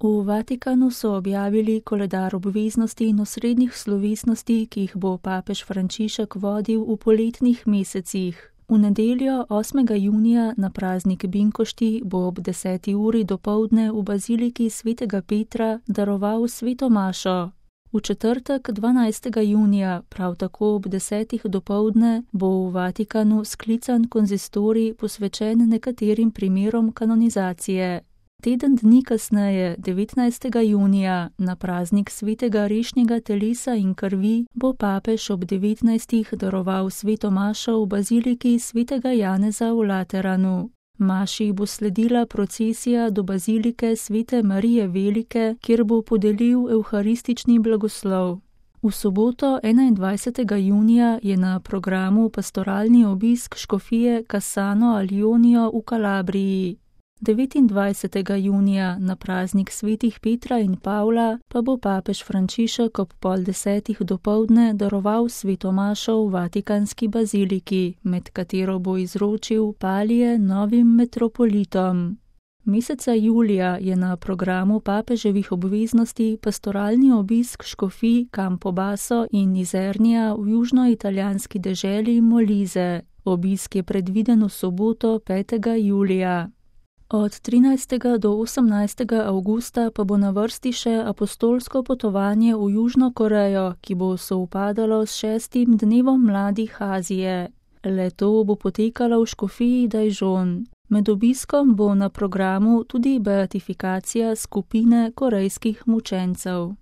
V Vatikanu so objavili koledar obveznosti in osrednjih slovesnosti, ki jih bo papež Frančišek vodil v poletnih mesecih. V nedeljo 8. junija na praznik Binkošti bo ob 10. uri dopoldne v baziliki svetega Petra daroval sveto mašo. V četrtek 12. junija, prav tako ob 10. dopoldne, bo v Vatikanu sklican konzistorij posvečen nekaterim primerom kanonizacije. Teden dni kasneje, 19. junija, na praznik svetega rešnjega telesa in krvi, bo papež ob 19. daroval sveto mašo v baziliki svetega Janeza v Lateranu. Maši bo sledila procesija do bazilike svete Marije Velike, kjer bo podelil evharistični blagoslov. V soboto 21. junija je na programu pastoralni obisk škofije Cassano al Ionio v Kalabriji. 29. junija na praznik svetih Petra in Pavla pa bo papež Frančišek ob 9:30 dopoldne daroval sveto mašo v Vatikanski baziliki, med katero bo izročil palije novim metropolitom. Meseca julija je na programu papeževih obveznosti pastoralni obisk škofij Campobasso in Izernija v južnoitalijanski deželi Molise. Obisk je predviden v soboto 5. julija. Od 13. do 18. avgusta pa bo na vrsti še apostolsko potovanje v Južno Korejo, ki bo sovpadalo s 6. dnevom mladih Azije. Le-to bo potekalo v škofiji Daejeon. Med obiskom bo na programu tudi beatifikacija skupine korejskih mučencev.